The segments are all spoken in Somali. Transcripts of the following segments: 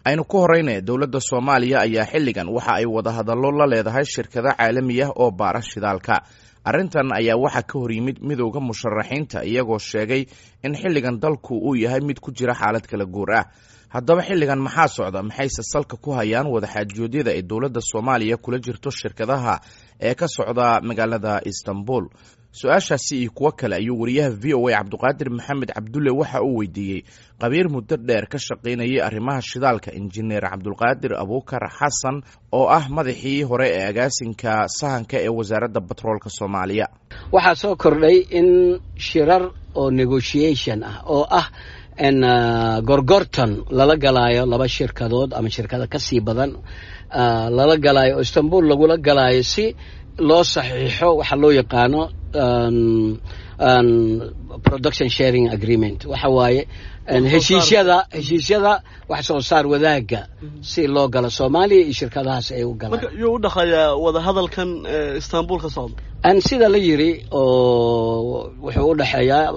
Aynu ku horeyne, dowladda Soomaaliya ayaa xilligan waxa ay wadahadallo la leedahay shirkado caalami ah oo baara shidaalka. Arrintan ayaa waxaa ka hor yimid midowda musharaxiinta, iyagoo sheegay in xilligan dalku uu yahay mid ku jira xaalad kala guur ah. Haddaba xilligan maxaa socda? Maxayse salka ku hayaan wadaxaajoodyada ay dowladda Soomaaliya kula jirto shirkadaha ee ka socda magaalada Istanbul? Su-aashaasi iyo kuwo kale ayuu wariyaha VOA Cabduqaadir Maxamed Cabdulle waxa uu weydiiyey qabiir muddo dheer ka shaqaynayay arrimaha shidaalka, injineer Cabdulqaadir Abuukar Xasan, oo ah madaxii hore ee agaasinka sahanka ee Wasaaradda Batroolka Soomaaliya. Waxaa soo kordhay in shirar oo negotiation ah oo ah in gorgortan lala galaayo laba shirkadood ama shirkado ka sii badan lala galaayo oo Istanbul lagula galaayo si loo saxiixo waxa loo yaqaano production sharing agreement. Waxa waaye heshiisyada wax soo saar wadaagga si loo galo Soomaaliya iyo shirkadahaas ay u galaan. Marka yuu u dhexeeyaa wadahadalkan Istanbul ka socda? Sida la yiri oo wuxuu u dhexeeyaa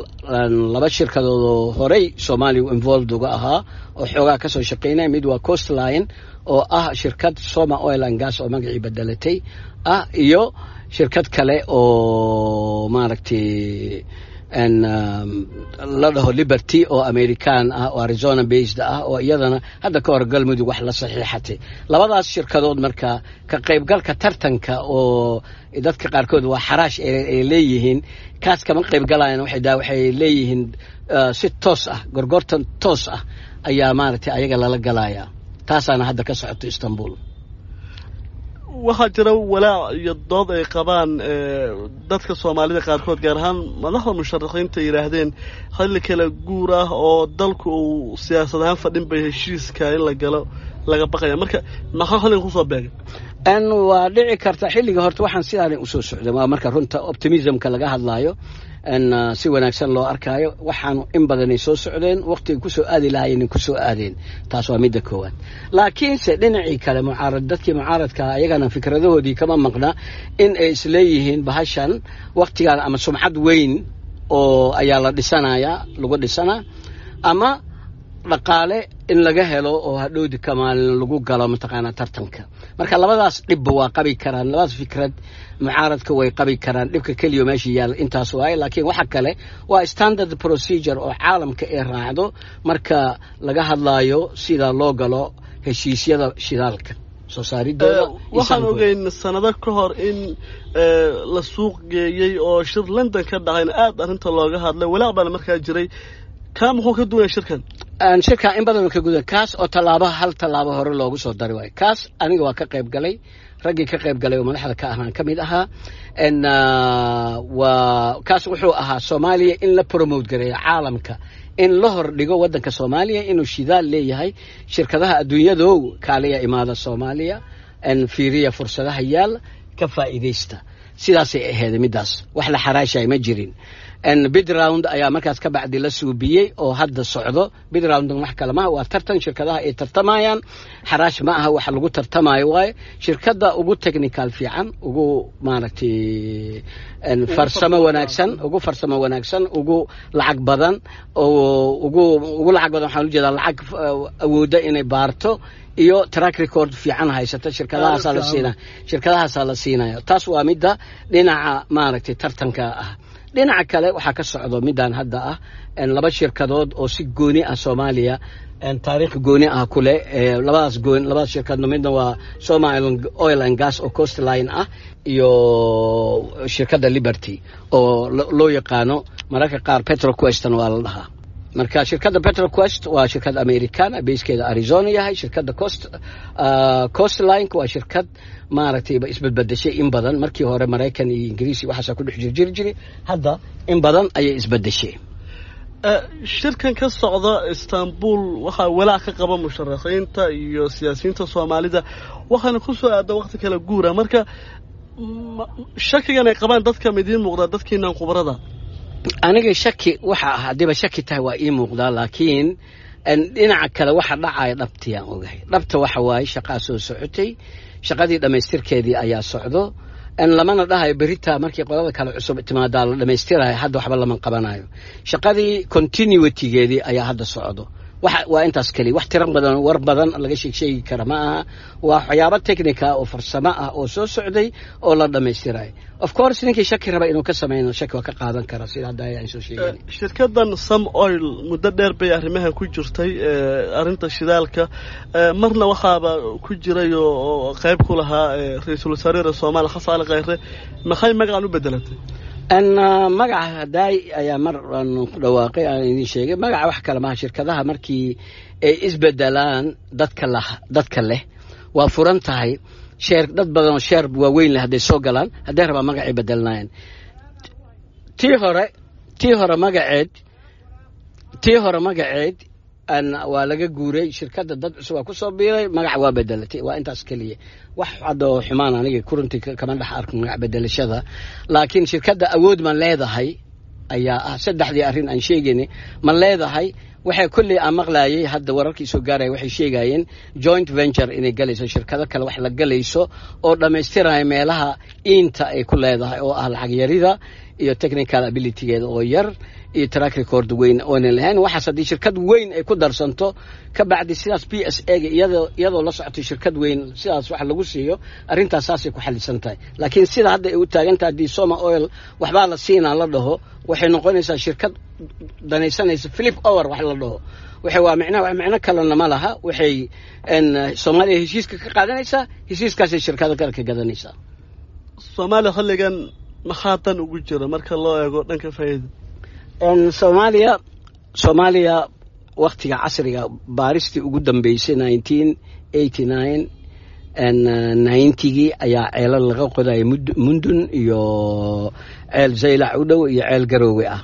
laba shirkadood oo horey Soomaaliya involved uga ahaa oo xoogaa kasoo shaqeynaya. Mid waa Coastline oo ah shirkad Soma Oil and Gas oo magacii bedelatay ah, iyo shirkad kale oo maaragtay la dhaho Liberty oo American ah oo Arizona based ah oo iyadana hadda ka hor Galmudug wax la saxiixatay. Labadaas shirkadood marka ka qaybgalka tartanka oo dadka qaarkood waa xaraash ay leeyihiin, kaas kama qaybgalayan. Waxay leeyihiin si toos ah, gorgortan toos ah ayaa maaragtay ayaga lala galaya. Taasaana hadda ka socoto Istanbul. Waxaa jira walaac iyo dood ay qabaan dadka Soomaalida qaarkood, gaar ahaan madaxda musharaxiinta, yidhaahdeen xilli kala guur ah oo dalku uu siyaasad ahaan fadhin bay heshiiska in la galo laga baqaya. Marka maxaa xilligan kusoo beegay? Waa dhici karta xilliga horta waxaan sidaanay usoo socda. Waa marka runta optimismka laga hadlaayo si wanaagsan loo arkaayo, waxaanu in badanay soo socdeen, waqtiga kusoo aadi lahaayeen kusoo aadeen. Taas waa midda koowaad. Laakiinse dhinacii kale mucaarad, dadkii mucaaradka ayagana fikradahoodii kama maqna in ay isleeyihiin bahashan waqtigan ama sumcad weyn oo ayaa la dhisanayaa, lagu dhisanaa, ama dhaqaale in laga helo oo hadhowdi kamaalin lagu galo mataqaanaa tartanka. Marka labadaas dhibba waa qabi karaan, labadaas fikrad mucaaradka way qabi karaan. Dhibka keliya meesha yaalla intaas waaye, laakiin waxa kale waa standard procedure oo caalamka ay raacdo marka laga hadlaayo sida loo galo heshiisyada shidaalka soo saaridooda. Waxaan ogeyn sanado ka hor in la suuq geeyey oo shir London ka dhacayna aada arrinta looga hadlay, walaac baana markaa jiray. Kaa muxuu ka duwaya shirkan? Shirkan in badan ka gudan kaas oo tallaabo, hal tallaabo hore loogu soo dari waayo. Kaas aniga waa ka qayb galay, raggii ka qayb galay oo madaxda ka ahaan ka mid ahaa. Waa kaas wuxuu ahaa Soomaaliya in la promote gareeyo caalamka, in la hor dhigo waddanka Soomaaliya inuu shidaal leeyahay. Shirkadaha adduunyadow, kaaliya, imaada Soomaaliya, fiiriya fursadaha yaal, ka faa'iidaysta. Sidaasay ahayd middaas, wax la xaraashay ma jirin. Bid round ayaa markaas ka bacdi la suubiyey oo hadda socdo. Bid round wax kale maaha, waa tartan shirkadaha ay tartamayaan, xaraash ma aha. Waxa lagu tartamayo waaye shirkadda ugu technical fiican, ugu maaragtay farsamo wanaagsan, ugu farsamo wanaagsan, ugu lacag badan oo ugu lacag badan, waxaan ujeedaa lacag awoodda inay baarto iyo track record fiican haysata. Shirkadahaasaa la siina, shirkadahaasaa la siinaya. Taas waa midda dhinaca maaragtay tartanka ah. Dhinaca kale waxaa ka socdo midaan hadda ah laba shirkadood oo si gooni ah Soomaaliya taariikh gooni ah ku leh. Labadaas gooni, labadaas shirkadna, midna waa Soma Oil and Gas oo Coastline ah iyo shirkadda Liberty oo loo yaqaano mararka qaar Petroquestna waa la dhahaa. Marka shirkadda Petroquest waa shirkad Americana, basekeeda Arizona yahay. Shirkadda Coastline waa shirkad maaragtay isbedbedeshay in badan. Markii hore Maraykan iyo Ingiriisi waxaasaa ku dhex jirjiri jiray, hadda in badan ayay isbedeshay. Shirkan ka socda Istanbul waxaa walaac ka qaba musharaxiinta iyo siyaasiyiinta Soomaalida, waxaana ku soo aada waqti kala guura. Marka shakigan ay qabaan dadka ma idiin muuqdaa, dadkiinan khubarada? Aniga shaki waxa ah, haddiiba shaki tahay, waa ii muuqdaa, laakiin dhinaca kale waxa dhacaya dhabtiyaan ogahay. Dhabta waxa waaye shaqaa soo socotay, shaqadii dhammaystirkeedii ayaa socdo. Lamana dhahayo berita markii qolada kale cusub timaadaa la dhammaystirayo. Hadda waxba lama qabanayo, shaqadii continuitygeedii ayaa hadda socdo. Waa intaas keliya. Wax tiro badan, war badan laga sheegsheegi kara ma aha. Waa waxyaabo technica oo farsamo ah oo soo socday oo la dhammaystirayo. Of course, ninkii shaki raba inuu ka sameyno, shaki waa ka qaadan kara, sida hadda ayaan soo sheegay. Shirkaddan Som Oil muddo dheer bay arrimahan ku jirtay, arrinta shidaalka. Marna waxaaba ku jiray oo qayb ku lahaa ra-iisul wasaaraha Soomaaliya, Xasan Cali Khayre. Maxay magacan u bedelatay? Magaca hadaay ayaa mar aan ku dhawaaqay, aan idin sheegay magaca. Wax kale maha, shirkadaha markii ay isbedelaan dadka lah, dadka leh waa furan tahay share. Dad badan oo share waaweyn leh hadday soo galaan, hadday rabaan magacay bedelnaayeen. Tii hore magaceed, tii hore magaceed waa laga guuray. Shirkadda dad cusub waa kusoo biiray, magaca waa bedelatay. Waa intaas keliya. Wax hadda oo xumaan aniga kuruntii kama dhex arko magac bedelashada, laakiin shirkadda awood ma leedahay ayaa ah saddexdii arrin aan sheegaynay. Ma leedahay? Waxay kolley aan maqlaayay hadda, wararkii soo gaaraya waxay sheegayeen joint venture inay galayso, shirkado kale wax la galayso oo dhammaystiraya meelaha iinta ay ku leedahay, oo ah lacag yarida iyo technical abilitygeeda oo yar iyo track record weyn oonan lahayn. Waxaas haddii shirkad weyn ay ku darsanto ka bacdi, sidaas PSA ga iyadoo la socotay shirkad weyn, sidaas wax lagu siiyo, arrintaas saasay ku xalisan tahay. Laakiin sida hadda ay u taagan tahay, haddii Soma Oil waxbaa la siinaa la dhaho, waxay noqonaysaa shirkad danaysanaysa flip over wax la dhaho. Waxay waa micnaha, wax micno kalena ma laha. Waxay Soomaaliya heshiiska ka qaadanaysaa, heshiiskaasay shirkado kale ka gadanaysaa. Soomaaliya xilligan maxaa dan ugu jira marka loo eego dhanka faa'iida? Soomaaliya waktiga casriga baaristii ugu dambeysay 1989, 90gii ayaa ceelal laga qodayay, Mundun iyo ceel Zaylac u dhow iyo ceel Garoowe ah.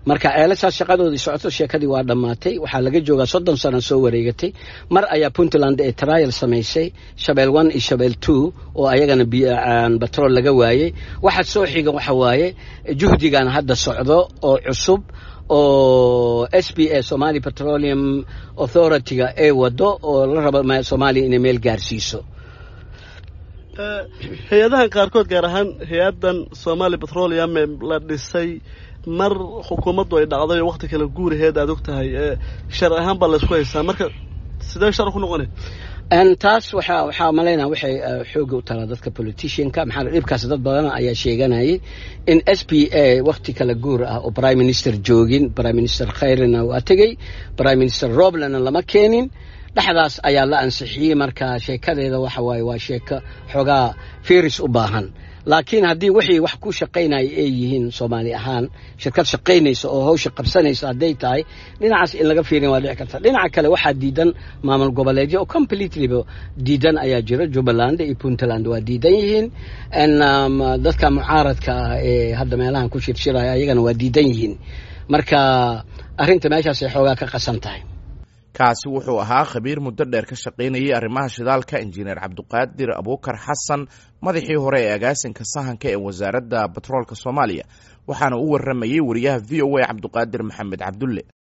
Marka ceelashaas shaqadoodii socoto, sheekadii waa dhammaatay. Waxaa laga joogaa 30 sano soo wareegatay. Mar ayaa Puntland ee trial samaysay, Shabeel 1 iyo Shabeel 2, oo ayagana batrool laga waayey. Waxa soo xiga waxa waaye juhdigan hadda socdo oo cusub oo SPA, Somali Petroleum Authority-ga, ay wado oo la rabo Soomaaliya inay meel gaarsiiso. Hay-adahan qaarkood, gaar ahaan hay-addan Somali Petroleum la dhisay mar xukuumaddu ay dhacday oo wakti kale guuraheed aad og tahay, sharci ahaan baa laysku haystaa. Marka sidee sharci ku noqonay? Taas waxaa malaynaa waxay xooga u talaa dadka politicianka. Maxaa dhibkaas dad badan ayaa sheeganayay in SPA wakti kala guur ah oo prime minister joogin, Prime Minister Khayrena waa tegey, Prime Minister Roblena lama keenin, dhexdaas ayaa la ansixiyey. Marka sheekadeeda waxa waaye waa sheeko xoogaa firis u baahan. Laakiin haddii wixii wax ku shaqaynaya ay yihiin, Soomaali ahaan shirkad shaqaynaysa oo hawsha qabsanaysa hadday tahay, dhinacaas in laga fiirin waa dhici karta. Dhinaca kale waxaa diidan maamul goboleedyo oo completelyba diidan ayaa jira. Jubbaland iyo Puntland waa diidan yihiin. Dadka mucaaradka ah ee hadda meelahan ku shirshiraya ayagana waa diidan yihiin. Marka arrinta meeshaasay xoogaa ka qasan tahay. Kaasi wuxuu ahaa khabiir muddo dheer ka shaqaynayay arrimaha shidaalka, injineer Cabdiqaadir Abuukar Xasan, madaxii hore ee agaasinka sahanka ee Wasaaradda Batroolka Soomaaliya, waxaana u warramayey wariyaha VOA, Cabdiqaadir Maxamed Cabdulle.